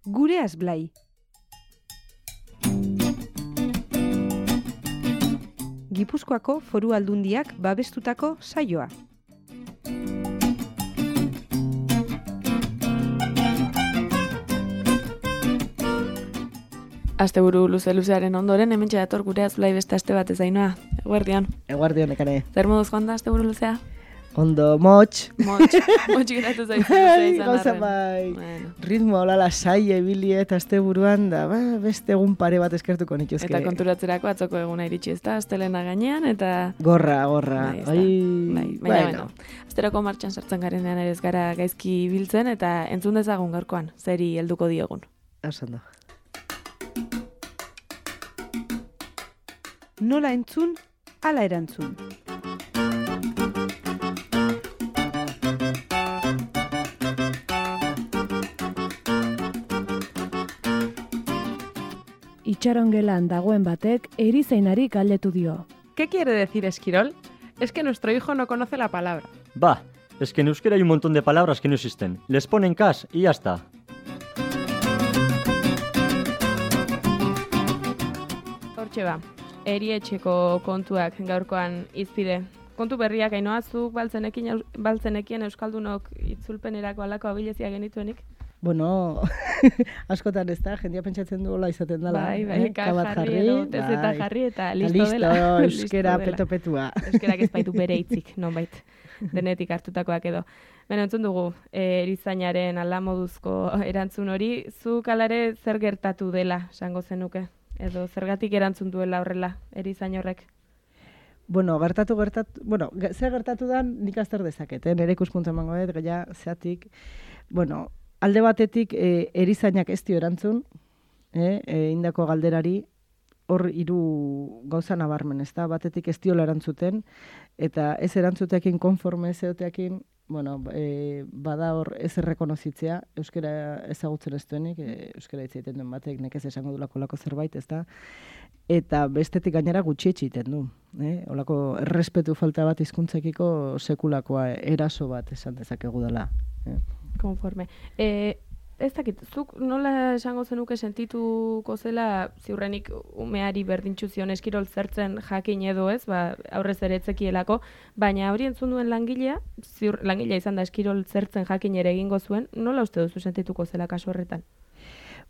Gure Azblai. Gipuzkoako Foru Aldundiak babestutako saioa. Asteburu luzearen ondoren, hementxe dator gure Azblai beste aste bat ez Ainhoa. Eguerdion. Eguerdion, ekane. Zer moduz joan da asteburu luzea? Ondo, motx. Motx geratu zaizu luzea izan Gauza arren. bai. Bueno. Ritmo hola lasai ebili eta asteburuan da, beste egun pare bat eskertuko nituzke. Eta konturatzerako atzoko eguna iritsi ez da, astelena gainean, eta... Gorra. Bai, baina, asterako martxan sartzen garenean ere ez gara gaizki biltzen, eta entzun dezagun gaurkoan, zeri helduko diogun. Oso. Nola entzun, ala erantzun. Itxarongelan dagoen batek erizainari galdetu dio. ¿Qué quiere decir esquirol? Es que nuestro hijo no conoce la palabra. Va, es que en euskera hay un montón de palabras que no existen. Les ponen cas y ya está. Hortxe ba, erietxeko kontuak gaurkoan izpide. Kontu berriak Ainhoa, zuk baltzenekien euskaldunok itzulpenerako alako abilezia genituenik? Bueno, askotan ez da, jendia pentsatzen du hola izaten dela. Bai, kabat jarri, tezeta jarri eta listo dela. Euskera peto-petua. Euskerak ez baitu bere hitzik, nonbait, denetik hartutakoak edo. Beno, entzun dugu, erizainaren alamoduzko erantzun hori, zuk alare zer gertatu dela, esango zenuke? Edo zergatik erantzun duela horrela, erizain horrek? Bueno, zer gertatu da nik azter dezaket, nire ikuspuntu emango dut, gaia zeatik, bueno, alde batetik erizainak ez dio erantzun, indako galderari, hor hiru gauza nabarmen, ez da, batetik ez diola erantzuten, eta ez erantzuteakin konforme zeoteakin, bueno, bada hor ez errekonozitzea, euskera ezagutzen ez duenik, euskera hitz egiten duen batek, nekez esango du lako zerbait, ez da, eta bestetik gainera gutxietxe egiten du. Olako errespetu falta bat hizkuntzekiko sekulakoa eraso bat esan dezakegu dela. Konforme. Ez dakit, zuk nola esango zenuke sentituko zela ziurrenik umeari berdintxu zion eskirol zertzen jakin edo ez, aurrez ere etzekielako, baina hori entzun duen langilea izan da eskirol zertzen jakin ere egingo zuen, nola uste duzu sentituko zela kasu horretan?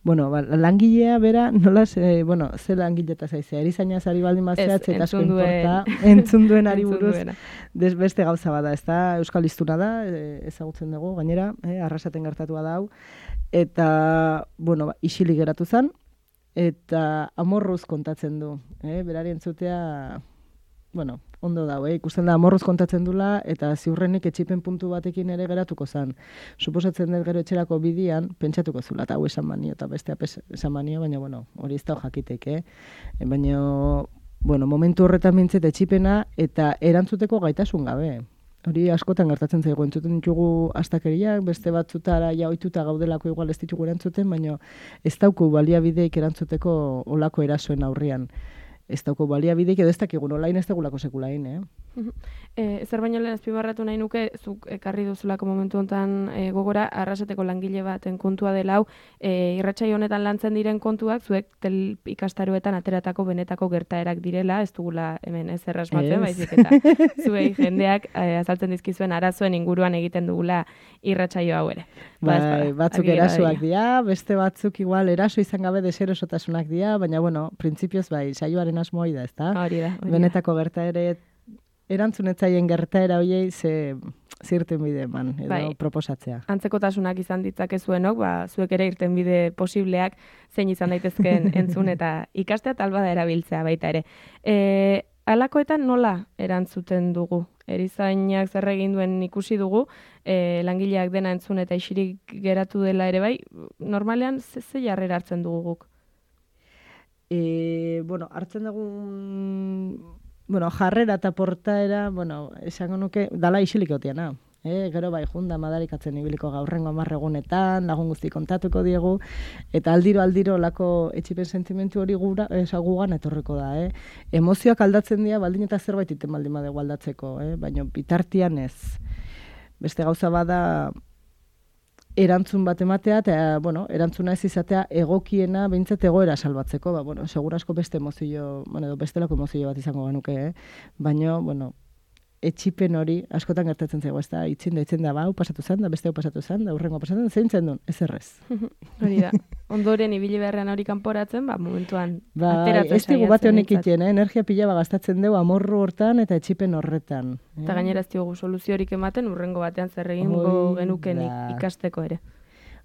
Bueno, langilea bera, nola, ze langileta zaizea, erizaina zari baldin bazeatz, eta asko importa, entzun duen ari buruz, beste gauza bada, ez da, euskal hiztuna da, ezagutzen dugu, gainera, arrasaten gertatua da hau, eta, bueno, isilik geratu zen, eta amorruz kontatzen du, berari entzutea, bueno, ondo dago, ikusten da amorruz kontatzen dula, eta ziurrenik etxipen puntu batekin ere geratuko zen. Suposatzen dut gero etxerako bidian, pentsatuko zula, eta hau esan manio, eta bestea esan manio, baina, bueno, hori ez da jakitek, Baina, bueno, momentu horretan mintzet etxipena, eta erantzuteko gaitasun gabe. Hori askotan gertatzen zaigu, entzuten ditugu astakeriak, beste batzutara ja ohituta gaudelako igual ez ditugu erantzuten, baina ez dauku baliabideik erantzuteko olako erasoen aurrian. Ez dauko baliabideik edo ez dakigun olain ez dagulako sekulain, Zer baino lehen azpimarratu nahi nuke, zuk ekarri duzulako momentu honetan gogora, arrasateko langile baten kontua dela hau, irratsaio honetan lantzen diren kontuak, zuek ikastaroetan ateratako benetako gertaerak direla, ez dugula hemen ez errasmatzen, baizik eta zuei jendeak azaltzen dizkizuen arazoen inguruan egiten dugula irratsaio hau ere. Bai, batzuk erasoak dira, beste batzuk igual eraso izan gabe deserosotasunak dira, baina bueno, printzipioz bai, saioaren asmoa da, ezta? Hori da. Benetako gertaere erantzunetzaien gertaera hoiei zirten bide eman, edo proposatzea. Antzekotasunak izan ditzakezuenok, zuek ere irten bide posibleak zein izan daitezkeen entzun eta ikastea talba da erabiltzea baita ere. Halakoetan nola erantzuten dugu? Erizainak zer egin duen ikusi dugu, langileak dena entzun eta isirik geratu dela ere bai, normalean ze jarrera hartzen dugu guk? Hartzen dugun... jarrera eta portaera, esango nuke, dala isilik otiana. Gero bai, junda madarikatzen ibiliko gaurrengo 10 egunetan, lagun guzti kontatuko diegu, eta aldiro lako etxipen sentimentu hori gugan etorriko da. Emozioak aldatzen dira, baldin eta zerbait iten baldin badegu aldatzeko, baina bitartian ez. Beste gauza bada, erantzun bat ematea, eta, bueno, erantzuna ez izatea egokiena behintzat egoera salbatzeko, segurasko beste emozio, edo bestelako emozio bat izango genuke, baina, bueno, etxipen hori askotan gertatzen zego, ez da, itzen da, hau pasatu zen, da beste hau pasatu zen, da urrengo pasatu zen, zein zen duen, ez errez. Hori da, ondoren ibili beharrean hori kanporatzen, momentuan ateratzen ez digu bate honek itien, energia pila gastatzen dugu amorru hortan eta etxipen horretan. Eta gainera ez diogu soluziorik ematen, urrengo batean zer egingo genuken ikasteko ere.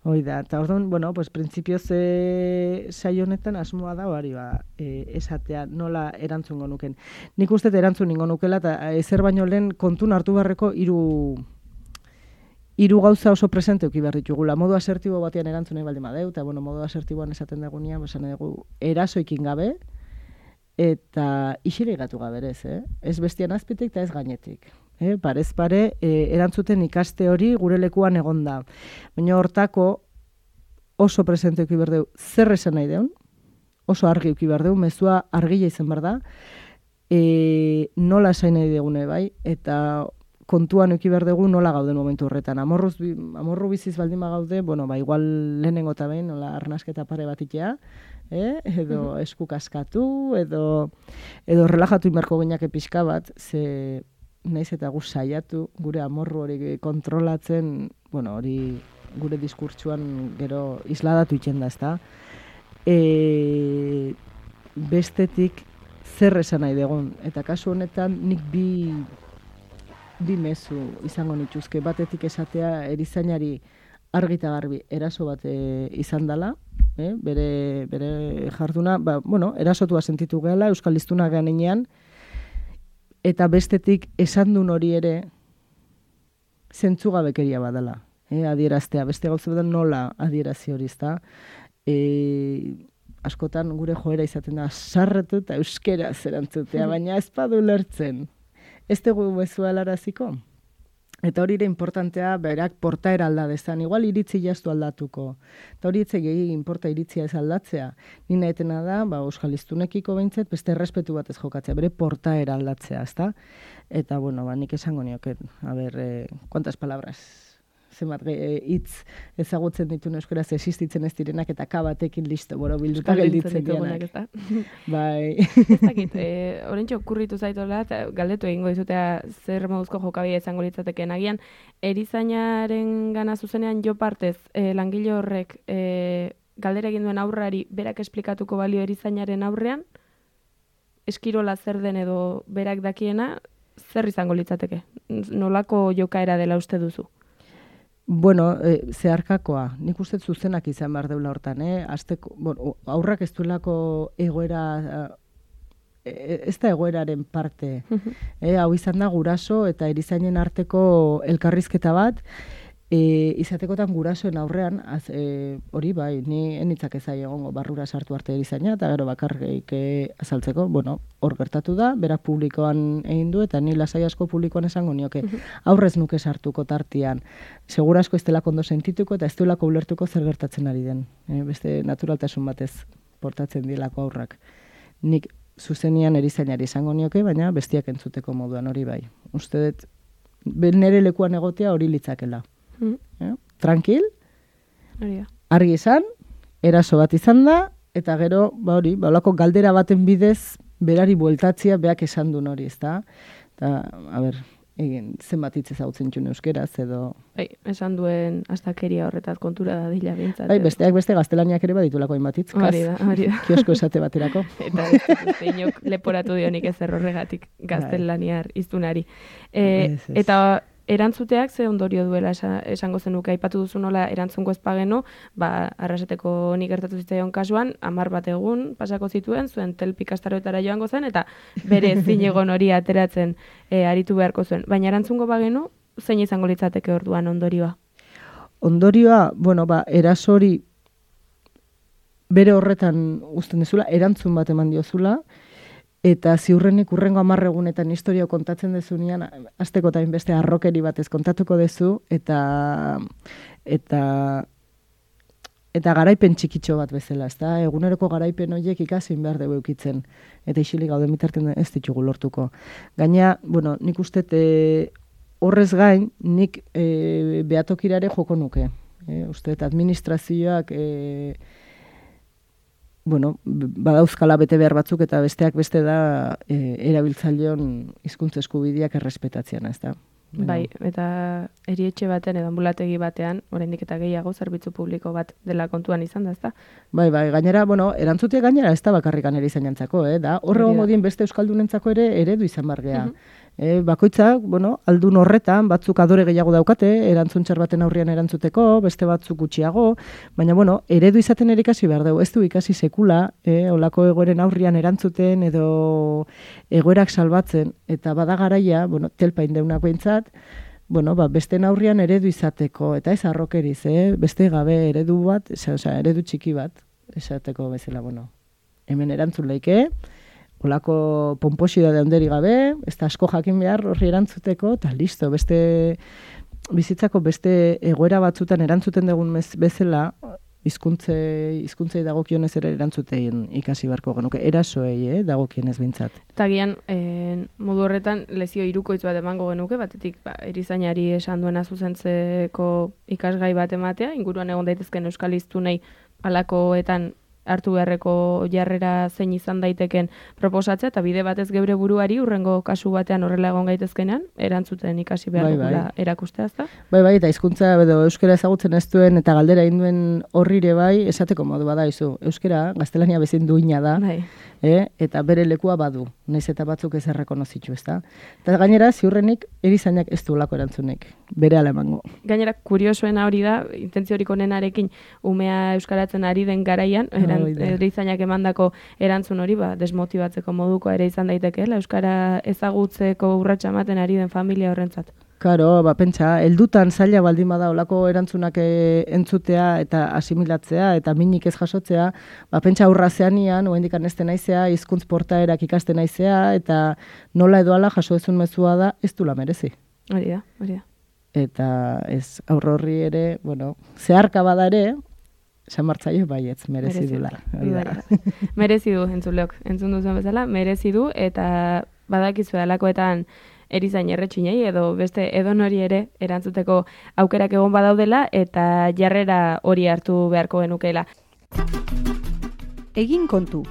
Hoi da, eta orduan, bueno, pues printzipioz saio honetan asmoa da hori esatea nola erantzungo nuken. Nik uste erantzun ningo nukela, eta ezer baino lehen kontun hartu beharreko hiru gauza oso presente uki behar ditugula. Modu asertibo batean erantzunei baldin badeu, eta bueno, modu asertiboan esaten dagunean, esan dugu erasoikin gabe, eta isire gatu gaberez, ez bestian azpitik eta ez gainetik. Parez pare, erantzuten ikaste hori gure lekuan egonda. Baina hortako oso presente uki berdeu zer esan nahi deun, oso argi uki berdeu, mezua argila izan behar da, nola esain nahi degune bai, eta kontuan uki berdegu nola gauden momentu horretan. Amorru biziz baldin gaude, bueno, igual lehenengo eta behin, nola arnasketa pare bat itea, edo esku kaskatu, edo relajatu inberko gineak pixka bat, ze naiz eta gu saiatu gure amorru hori kontrolatzen, bueno, hori gure diskurtsuan gero isladatu itxen da, ezta? Bestetik zer esan nahi dugun, eta kasu honetan nik bi mezu izango nituzke, batetik esatea erizainari argi eta garbi eraso bat izan dela, bere jarduna, bueno, erasotua sentitu gehala, euskal hiztunak ganenean, eta bestetik esan duen hori ere zentzugabekeria badala, adieraztea. Beste gauza bat nola adierazi hori, ezta? Askotan gure joera izaten da sarretu eta euskeraz erantzutea, baina ez badu lertzen. Ez dugu mezua helaraziko? Eta hori ere importantea, berak portaera alda dezan, igual iritzi jaztu aldatuko. Eta hori etzegi inporta iritzia ez aldatzea. Nina etena da, euskal hiztunekiko behintzet, beste errespetu bat ez jokatzea, bere portaera aldatzea, ezta? Eta, bueno, nik esango nioket, kuantas palabras, zenbat hitz ezagutzen dituen euskaraz existitzen ez direnak, eta kabatekin listo, bilduta gelditzen dianak. Bai. Ez dakit, horrentxo okurritu zaitola, eta galdetu egingo dizutea zer moduzko jokabidea izango litzateken. Agian, erizainaren gana zuzenean jo partez, langile horrek galdera egin duen aurrari berak esplikatuko balio erizainaren aurrean, eskirola zer den edo berak dakiena, zer izango litzateke? Nolako jokaera dela uste duzu? Bueno, zeharkakoa. Nik uste zuzenak izan behar deula hortan, aurrak ez duelako egoera, ez da egoeraren parte. Hau izan da guraso eta erizainen arteko elkarrizketa bat, izatekotan gurasoen aurrean, hori bai, ni enitzak ezai egongo barrura sartu arte erizaina, eta gero bakarrik azaltzeko, bueno, hor gertatu da, berak publikoan egin du, eta ni lasai asko publikoan esango nioke, aurrez nuke sartuko tartian, segura asko ez delako ondo sentituko, eta ez delako ulertuko zer gertatzen ari den, beste naturaltasun batez portatzen dilako aurrak. Nik zuzenian erizainari esango nioke, baina bestiak entzuteko moduan hori bai. Uste dut, nere lekuan egotea hori litzakela. Tranquil, argi izan, eraso bat izan da, eta gero, olako galdera baten bidez, berari bueltatzia beak esan duen hori, ezta? Eta, zenbat hitz ezagutzen txun euskeraz, edo... Esan duen astakeria horretat kontura da dila bintzat. Besteak beste gaztelaniak ere baditulako hainbat hitz, hori da. Kiosko esate baterako. Eta ez inok leporatu dionik ez errorregatik gaztelaniar iztunari. Eta erantzuteak ze ondorio duela esango zenuke, aipatu duzu nola erantzungo ez pageno, arraseteko nik gertatu zitzaion kasuan, 10 bat egun pasako zituen, zuen telpikastaroetara joango zen, eta bere zinegon hori ateratzen aritu beharko zuen. Baina erantzungo bagenu, zein izango litzateke orduan ondorioa? Ondorioa, eraso hori bere horretan uzten dezula, erantzun bat eman diozula, eta ziurrenik urrengo 10 egunetan historia kontatzen dezunean, azteko eta beste arrokeri batez kontatuko dezu, eta garaipen txikitxo bat bezala, ezta? Eguneroko garaipen horiek ikazin behar dugu eukitzen, eta isilik gauden bitartean ez ditugu lortuko. Gaina, nik uste horrez gain, nik behatokirare joko nuke. Uste, administrazioak badauzkala bete behar batzuk eta besteak beste da erabiltzaileon hizkuntza eskubideak errespetatzean, ez da? Bai, eta erietxe baten edo anbulategi batean, oraindik eta gehiago zerbitzu publiko bat dela kontuan izan da, ezta? Bai, gainera, erantzutea gainera ez da bakarrikan erizainentzako, da horre modien beste euskaldunentzako ere eredu izan bargea. Bakoitzak, aldun horretan, batzuk adore gehiago daukate, erantzuntxar baten aurrian erantzuteko, beste batzuk gutxiago, baina, eredu izaten ere ikasi behar dugu, ez du ikasi sekula, olako egoeren aurrian erantzuten edo egoerak salbatzen, eta bada garaia, telpain deunak behintzat, beste aurrian eredu izateko, eta ez arrokeriz, beste gabe eredu bat, eredu txiki bat, esateko bezala, hemen erantzun leike, olako pomposidade handeri gabe, ez da asko jakin behar horri erantzuteko, eta listo, bizitzako beste egoera batzutan erantzuten dugun bezala, hizkuntzei dagokionez ere erantzutein ikasi beharko genuke, erasoei dagokionez behintzat. Eta gian, modu horretan, lezio hirukoitz bat emango genuke, batetik erizainari esan duena zuzentzeko ikasgai bat ematea, inguruan egon daitezken euskal hiztunei halakoetan hartu beharreko jarrera zein izan daiteken proposatzea, eta bide batez geure buruari urrengo kasu batean horrela egon gaitezkenean, erantzuten ikasi behar dugula erakustea, ezta? Bai, eta hizkuntza edo euskara ezagutzen ez duen eta galdera egin duen horrire bai, esateko modu bada izu. Euskara, gaztelania bezin duina da, eta bere lekua badu, nahiz eta batzuk ez errekonozitu, ezta? Eta gainera, ziurrenik, erizainak ez du lako erantzunek, bere ala emango. Gainera, kuriosoena hori da, intentziorik onenarekin umea euskaratzen ari den garaian, erizainak emandako erantzun hori, desmotibatzeko moduko ere izan daitekeela, euskara ezagutzeko urratsa ematen ari den familia horrentzat. Karo, pentsa, heldutan zaila baldin bada olako erantzunak entzutea eta asimilatzea eta minik ez jasotzea, pentsa aurra zeanian, oraindik anezten naizea, hizkuntz portaerak ikasten naizea, eta nola edo ala jaso ezun mezua da, ez dula merezi. Hori da. Eta ez aurro horri ere, zeharka bada ere, San Martzaio baietz, merezi dula. Merezi du, entzuleok, entzun duzen bezala, merezi du, eta badakizu dalakoetan erizain erretxinei, edo beste edonori ere erantzuteko aukerak egon badaudela, eta jarrera hori hartu beharko genukeela. Egin kontu.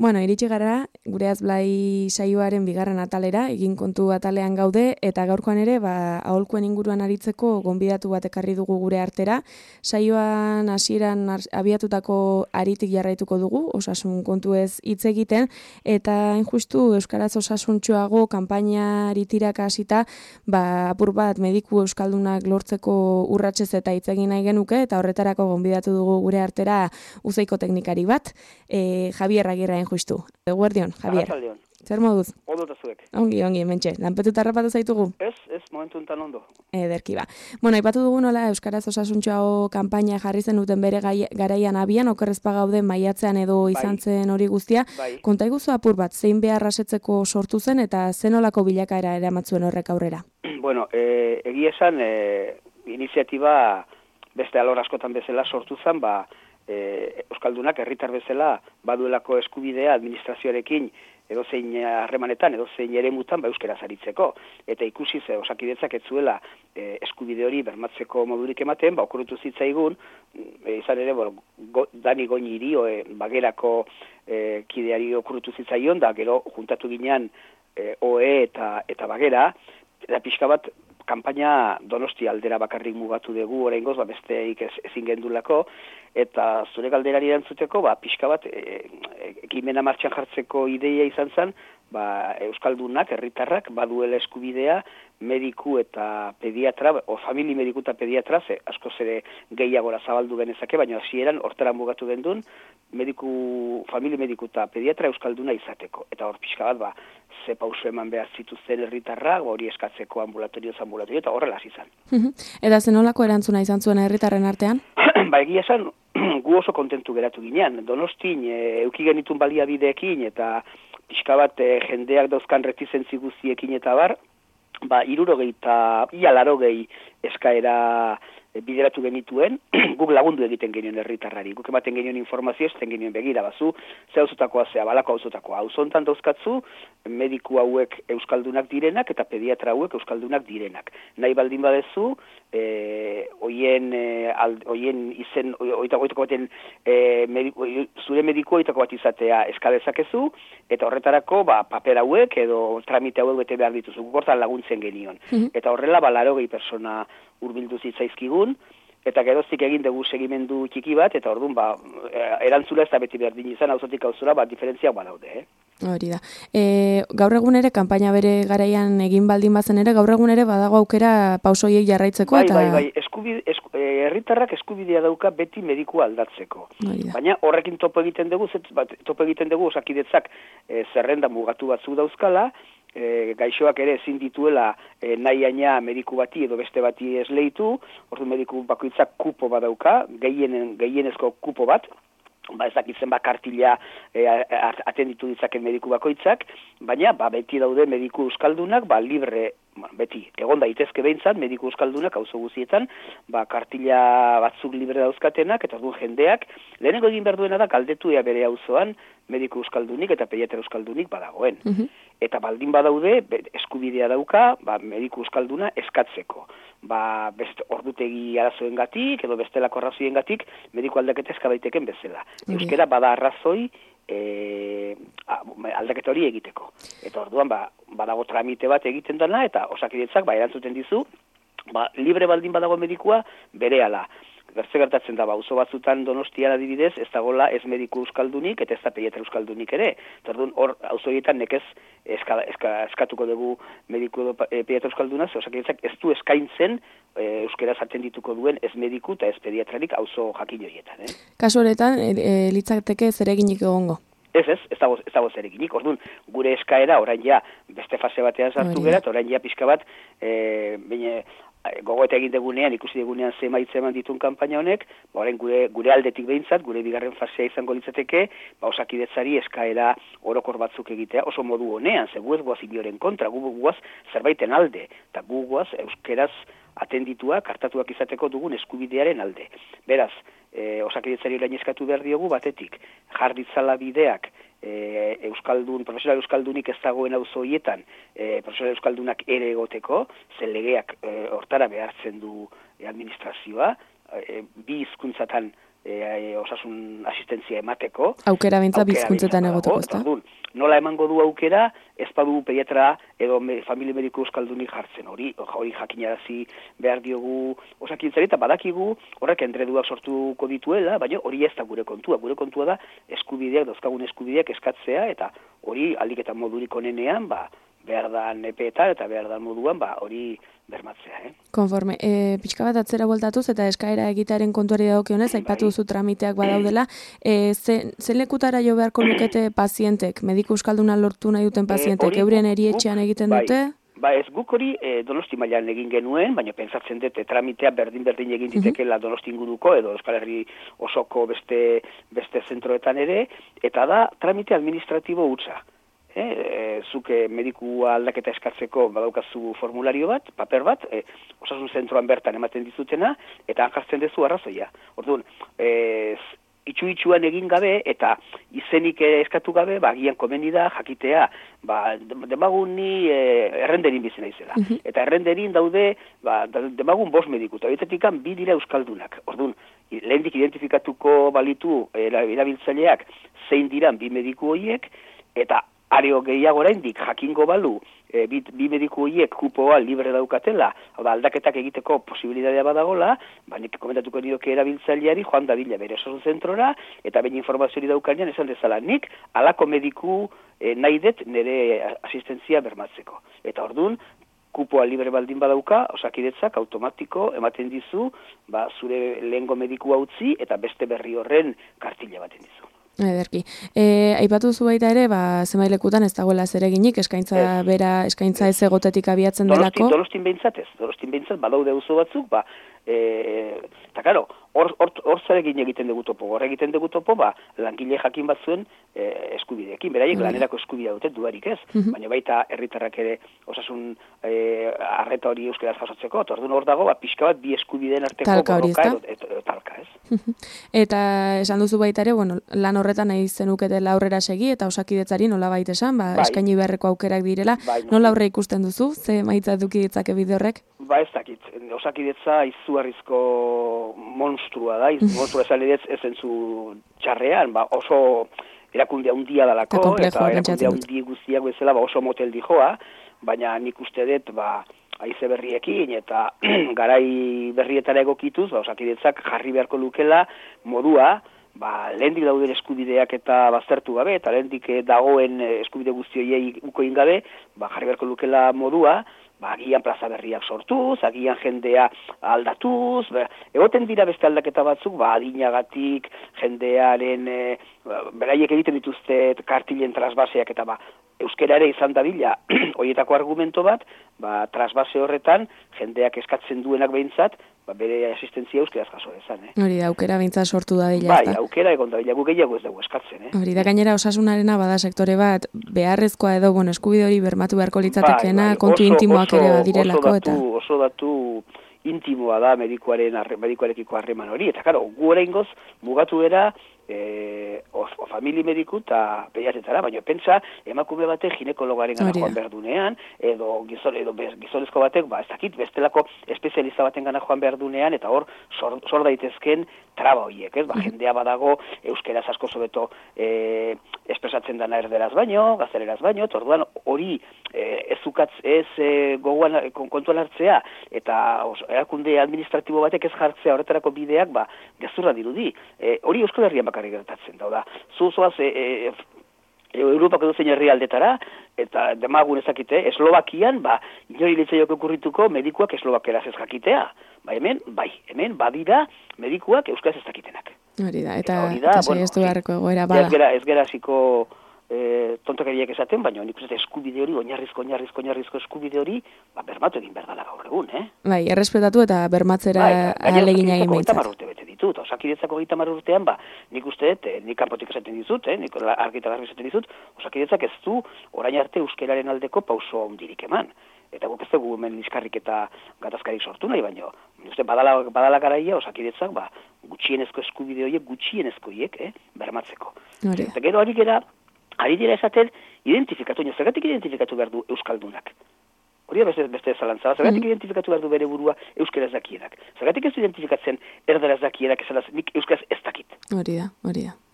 Iritsi gara, gure azblai saioaren bigarren atalera, egin kontu atalean gaude, eta gaurkoan ere, aholkuen inguruan aritzeko gonbidatu bat ekarri dugu gure artera. Saioan hasieran abiatutako aritik jarraituko dugu, osasun kontu ez hitz egiten, eta injustu Euskaraz osasuntxoago kanpainari tiraka hasita, apur bat mediku euskaldunak lortzeko urratsez eta hitz egin nahi genuke, eta horretarako gonbidatu dugu gure artera uzeiko teknikari bat, Javier Agirre justu. Eguerdion, Javier. Arratsaldeon. Zer moduz? Ondo eta zuek. Ongi, mentxe. Lanpetuta harrapatu zaitugu? Ez, momentu enten ondo. Ederki ba. Aipatu dugu nola Euskaraz osasuntxoago kanpaina jarri zenuten bere garaian abian, okerrezpa gauden maiatzean edo izan zen hori guztia. Konta iguzu apur bat, zein behar rasetzeko sortu zen eta zenolako bilakaera eramatzuen horrek aurrera? Egia esan, iniziatiba beste alor askotan bezala sortu zen, Euskaldunak herritar bezala baduelako eskubidea administrazioarekin edozein harremanetan, edozein eremutan euskaraz aritzeko. Eta ikusi ze Osakidetzak ez zuela eskubide hori bermatzeko modurik ematen, okurritu zitzaigun, izan ere, Dani Goñiri, Bagerako kideari okurritu zitzaion, da gero juntatu ginean OE eta Bagera, eta pixka bat kanpaina Donosti aldera bakarrik mugatu dugu, oraingoz besteik ezin gendulako, eta zure galderari erantzuteko, pixka bat ekimena martxan jartzeko ideia izan zen, Euskaldunak, herritarrak, baduela eskubidea, mediku eta pediatra, famili mediku eta pediatra, askoz ere gehiagora zabaldu genezake, baina hasieran hortara mugatu gendun, famili mediku eta pediatra Euskalduna izateko. Eta hor pixka bat, ze pauso eman behar zituzten herritarrak, hori eskatzeko ambulatorio, eta horrela izan. Eta zenolako erantzuna izan zuen herritarren artean? Egia esan, gu oso kontentu geratu ginean. Donostin, euki genitun baliabideekin, eta pixka bat jendeak dauzkan retizentzi guztiekin eta bar, 60 eta 80 eskaera bideratu genituen, guk lagundu egiten genioen herritarrari, guk ematen genioen informazio, ez genioen begira, bazu, ze hauzutakoa zea, balako hauzutakoa. Hauzontan dauzkatzu, mediku hauek euskaldunak direnak, eta pediatra hauek euskaldunak direnak. Nahi baldin badezu, oien izen, oitako baten, zure mediku oitako bat izatea eskadezakezu, eta horretarako, paper hauek, edo tramite hauek bete behar dituzu, guk hortan laguntzen genion. Eta horrela, 80 persona hurbildu zitzaizkigun, eta geroztik egin dugu segimendu txiki bat, eta orduan, erantzula ez da beti berdin izan, auzotik auzora, diferentziak badaude, Hori da. Gaur egun ere, kanpaina bere garaian egin baldin bazen ere, gaur egun ere badago aukera pausoiek jarraitzeko, Bai, herritarrak eskubidea dauka beti medikua aldatzeko. Baina horrekin topo egiten dugu, Osakidetzak zerrenda mugatu batzu dauzkala, gaixoak ere ezin dituela nahi mediku bati edo beste bati esleitu, ordu mediku bakoitzak kupo badauka, gehienezko kupo bat, ez dakitzen kartila atenditu ditzaken mediku bakoitzak, baina beti daude mediku euskaldunak, libre, beti, egon daitezke behintzat, mediku euskaldunak, auzo guztietan, kartila batzuk libre dauzkatenak, eta orduan jendeak, lehenengo egin behar duena da, galdetu bere auzoan mediku euskaldunik eta pediatra euskaldunik badagoen. Eta baldin badaude, eskubidea dauka, mediku euskalduna eskatzeko. Beste ordutegi arazoengatik edo bestelako arrazoiengatik mediku aldaketa eska daiteken bezala. Euskera bada arrazoi aldaketa hori egiteko. Eta orduan badago tramite bat egiten dana eta Osakidetzak erantzuten dizu, libre baldin badago medikua berehala. Gertatzen da, auzo batzutan Donostian adibidez, ez dagoela ez mediku euskaldunik eta ez da pediatra euskaldunik ere. Orduan hor auzoietan nekez eskatuko dugu mediku edo pediatra euskalduna, Osakidetzak ez du eskaintzen euskeraz atendituko duen ez mediku eta ez pediatrarik auzo jakin horietan. Kasu horretan, litzateke zereginik egongo? Ez dago zereginik. Orduan, gure eskaera orain beste fase batean sartu gara, eta orain pixka bat, gogoeta egin degunean, ikusi degunean ze emaitza eman ditun kanpaina honek, orain gure aldetik behintzat, gure bigarren fasea izango litzateke, Osakidetzari eskaera orokor batzuk egitea, oso modu honean, ze gu ez guaz inoren kontra, gu guaz zerbaiten alde, eta gu guaz euskeraz atendituak, kartatuak izateko dugun eskubidearen alde. Beraz, Osakidetzari orain eskatu behar diogu batetik, jarditzala bideak, profesional euskaldunik ez dagoen auzo horietan, profesional euskaldunak ere egoteko, zen legeak hortara behartzen du administrazioa, bi hizkuntzatan osasun asistentzia emateko. Aukera bintza bi hizkuntzetan egoteko, ezta? Nola emango du aukera, ez badu pediatra edo familia mediku euskaldunik jartzen. Hori jakinarazi behar diogu Osakidetzari, eta badakigu horrek endreduak sortuko dituela, baina hori ez da gure kontua. Gure kontua da eskubideak, dauzkagun eskubideak eskatzea, eta hori aldik eta modurik onenean, behar da nepeetan eta behar da moduan, hori bermatzea. Konforme, pixka bat atzera bueltatuz eta eskaera egitearen kontuari dagokionez, aipatu duzu tramiteak badaudela, ze lekutara jo beharko lukete pazientek, mediku euskalduna lortu nahi duten pazientek, eurien erietxean egiten dute? Ez guk hori Donosti mailan egin genuen, baina pentsatzen dut tramitea berdin egin ditekela Donosti inguruko edo Euskal Herri osoko beste zentroetan ere, eta da tramite administratibo hutsa. Zuke medikua aldaketa eskatzeko badaukazu formulario bat, paper bat, osasun zentroan bertan ematen dizutena, eta jartzen duzu arrazoia. Orduan, itxuan egin gabe eta izenik eskatu gabe, agian komeni da jakitea, demagun ni errenderin bizena izela. Eta errenderin daude, demagun 5 mediku, eta horietetik 2 dira euskaldunak. Orduan, lehendik identifikatuko balitu erabiltzaileak zein diran 2 mediku horiek, eta areo gehiago oraindik jakingo balu, bi mediku horiek kupoa libre daukatela, aldaketak egiteko posibilitatea badagola, nik komentatuko nioke erabiltzaileari joan dadila bere osasun zentrora, eta baina informazioari daukanean esan dezala nik, halako mediku nahi dut nire asistentzia bermatzeko. Eta orduan, kupoa libre baldin badauka, Osakidetzak automatiko ematen dizu, zure lehengo medikua utzi, eta beste berri horren kartila baten dizu. Ederki. Aipatu zu baita ere, zenbailekutan ez dagoela zereginik, eskaintza ez egotetik abiatzen delako. Donostin behintzat badaude auzo batzuk, eta karo, hor zarekin egiten dugu topo. Hor egiten dugu topo, langile jakin batzuen eskubideekin. Beraiek lanerako eskubidea dute dudarik ez. Baina baita herritarrak ere osasun arreta hori euskeraz jasotzeko. Orduan hor dago, pixka bat bi eskubideen arteko talka hori, talka, ez? Eta esan duzu baita ere, lan horretan nahi zenuketela aurrera segi, eta Osakidetzari nola baita esan, eskaini beharreko aukerak direla. Nola aurre ikusten duzu? Ze maitza eduki ditzake bide horrek? Ez dakit. Osakidetza izugarrizko monstrua da. Monstrua esan edez ez zentzu txarrean, oso erakunde handia dalako, eta erakunde handi guztiak bezala oso motel dijoa, baina nik uste dut, haize berriekin eta garai berrietara egokituz, Osakidetzak jarri beharko lukela modua, lehendik dauden eskubideak eta baztertu gabe, eta lehendik dagoen eskubide guztioiei ukoin gabe, jarri beharko lukela modua, agian plaza berriak sortuz, agian jendea aldatuz, egoten dira beste aldaketa batzuk, adinagatik, jendearen, beraiek egiten dituzte kartilen trasbaseak eta euskera ere izan dadila, horietako argumento bat, trasbase horretan, jendeak eskatzen duenak behintzat, bere asistentzia euskeraz jaso dezan. Hori da, aukera behintzat sortu dadila. Aukera egon dadila, gu gehiago ez dugu eskatzen. Hori da, gainera osasunarena bada sektore bat, beharrezkoa edo, eskubide hori bermatu beharko litzatekeena, kontu intimoak ere badirelako. Oso datu intimoa da medikuarekiko harreman hori, eta karo, gu oraingoz mugatu era famili mediku eta pediatretara, baina pentsa emakume batek ginekologaren gana joan berdunean, edo gizonezko batek, ez dakit, bestelako espezialista baten gana joan berdunean, eta hor sor daitezken traba horiek, ez? Jendea badago euskeraz asko zobeto espresatzen dana erderaz baino, gazteleraz baino, orduan hori ez gogoan kontuan hartzea, eta erakunde administratibo batek ez jartzea horretarako bideak, gezurra dirudi. Hori Euskal Herrian bakarrik gertatzen da. Zuzoaz Europako dozein herrialdetara, eta demagun ezakite, Eslovakian, inori litzaiok okurrituko medikuak eslovakeraz ez jakitea. Hemen badira medikuak euskaraz ez dakitenak. Hori da, eta saiestu beharreko egoera bada. Ez gera hasiko tontakariak esaten, baina nik uste eskubide hori, oinarrizko eskubide hori, bermatu egin behar dela gaur egun, errespetatu eta bermatzera ahalegina egin behintzat. 30 urte bete ditut, Osakidetzako 30 urtean, nik uste dut, nik kanpotik esaten dizut, nik argita garbi esaten dizut, Osakidetzak ez du orain arte euskeraren aldeko pauso handirik eman. Eta guk ez dugu hemen liskarrik eta gatazkarik sortu nahi, baina uste badala garaia Osakidetzak gutxienezko eskubide horiek, bermatzeko. Eta gero ari dira esaten, zergatik identifikatu behar du euskaldunak. Hori beste zalantza, zergatik identifikatu behar du bere burua euskaraz dakienak. Zergatik ez du identifikatzen erdaraz dakienak esalaz, nik euskaraz ez dakit. Hori da.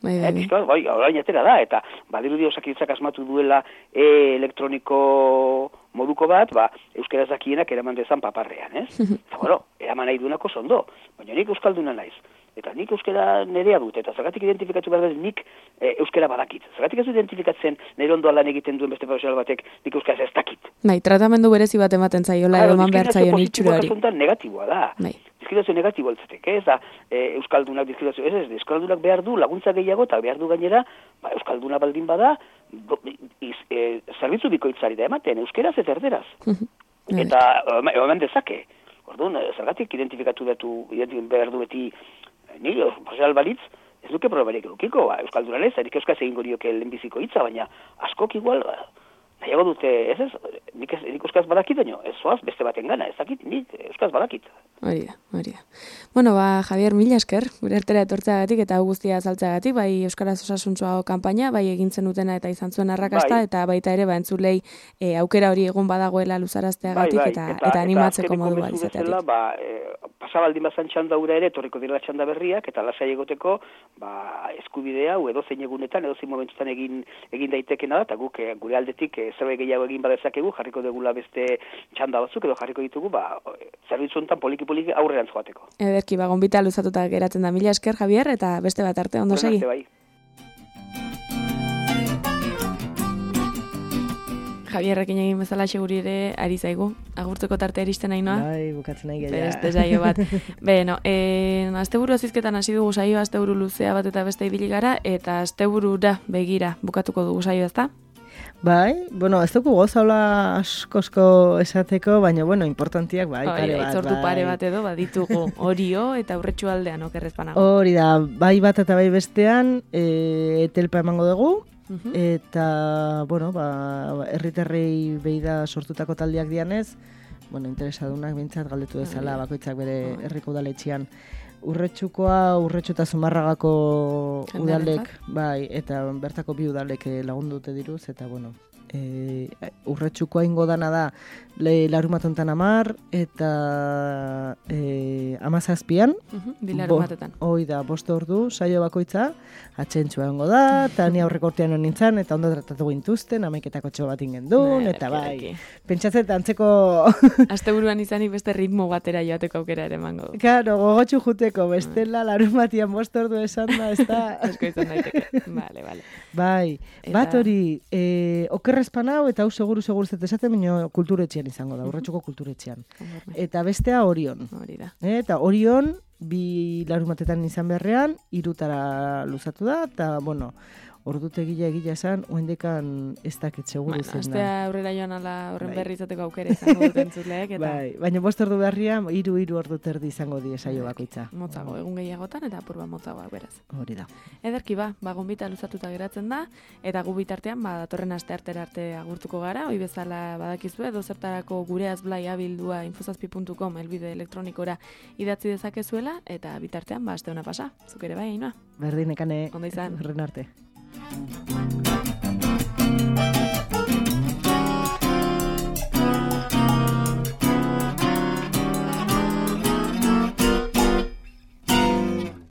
Orain atera da, eta badirudi Osakidetzak asmatu duela elektroniko moduko bat, euskaraz dakienak eraman dezan paparrean, ez? Eta eraman nahi duenako zondo, baina nik euskalduna naiz. Eta nik euskera nerea dut, eta zergatik identifikatu behar dut nik euskera badakit. Zergatik ez du identifikatzen nire ondoan lan egiten duen beste profesional batek nik euskaraz ez dakit. Tratamendu berezi bat ematen zaiola, eman behar zaion itxurari. Negatiboa da. Diskriminazio negatibo altzetek, ez da euskaldunak diskriminazio, ez euskaldunak behar du laguntza gehiago, eta behar du gainera, euskalduna baldin bada, zerbitzu bikoitzari da ematen, euskeraz eta erderaz. Eta eman dezake. Orduan, zergatik identifikatu behar du beti nire, profesional balitz, ez duke probarik edukiko, euskalduna ez, erik euskaz egingo dioke lehenbiziko hitza, baina askok igual, nahiago dute, nik euskaz badakit, baina ez zoaz beste baten gana, ez dakit, nik euskaz badakit. Hori da. Bueno, Javier, mila esker, gure artera etortzeagatik eta guztia azaltzeagatik, bai Euskaraz Osasuntsuago kanpaina, bai egintzen dutena eta izan zuen arrakasta, eta baita ere, entzulei aukera hori egun badagoela luzarazteagatik eta animatzeko modu bat izateatik. Pasabaldin bazan txanda hura ere, etorriko dira txanda berriak, eta lasai egoteko, eskubidea, edozein egunetan, edozein momentutan egin daitekena da, eta guk gure aldetik zerbait gehiago egin badezakegu, jarriko degula beste txanda batzuk, edo jarriko ditugu, zerbitzu honetan poliki aurrerantz joateko. Ederki, gonbita luzatuta geratzen da. Mila esker, Javier, eta beste bat arte, ondo segi. Javierrekin egin bezala seguri ere ari zaigu. Agurtzeko tarte eristen nahi noa? Bai, bukatzen nahi gehiago. Beste saio bat. Beno, asteburu azizketan hasi dugu saio, asteburu luzea bat eta beste ibili gara, eta asteburura begira bukatuko dugu saio, ezta? Bai, bueno, ez dugu gozaula askosko esateko, baina, bueno, importantiak bai, pare bat. Itzortu pare bat edo, baditugu Orio eta Urretxu aldean, okerrezpanago. Hori da, bai bat eta bai bestean, etelpa emango dugu, eta, bueno, herritarrei behi da sortutako taldiak dianez, bueno, interesadunak bintzat galdetu dezala, bakoitzak bere herriko udaletxean. Urretxu eta Zumarragako udalek, bai, eta bertako bi udalek lagundu dute diruz, eta, bueno, Urretxukoa ingo dana da larumatontan 10 eta 17an. Bilarumatetan. Hoi da, 5 ordu, saio bakoitza, atxentxua ongo da, eta ni aurreko urtean hon nintzen, eta ondo tratatu gintuzten, 11etako txo bat ingendun, eta bai, pentsatzen antzeko... Asteburuan izanik beste ritmo batera joateko aukera ere emango du. Claro, gogotxu juteko, bestela larumatian 5 ordu esan da, ez da... Esko izan daiteke, vale. Bai, bat hori, okerrezpan hau, eta hau seguru esaten, baina kulturetxean izango da, Urretxuko kulturetxean. Eta bestea Orion. Hori da. Eta Orion, 2 larumatetan izan beharrean, 3 luzatu da, eta, bueno, ordutegia egila esan, oendekan ez dakit seguru zen da. Astea aurrera joan ala horren berri izateko aukera izango duten zutleek. Bai, baina 5 ordu beharrian, 3 ordu terdi izango die saio bakoitza. Motzago, egun gehiagotan eta apurba motzagoak beraz. Hori da. Ederki gonbita luzatuta geratzen da, eta gu bitartean, datorren asteartera arte agurtuko gara, hoi bezala badakizue, dozertarako gure azblai abildua infozazpi.com elbide elektronikora idatzi dezakezuela, eta bitartean, aste hona pasa, zuk ere bai, Ainhoa? Berdin, ekane, ondo izan. Horren arte.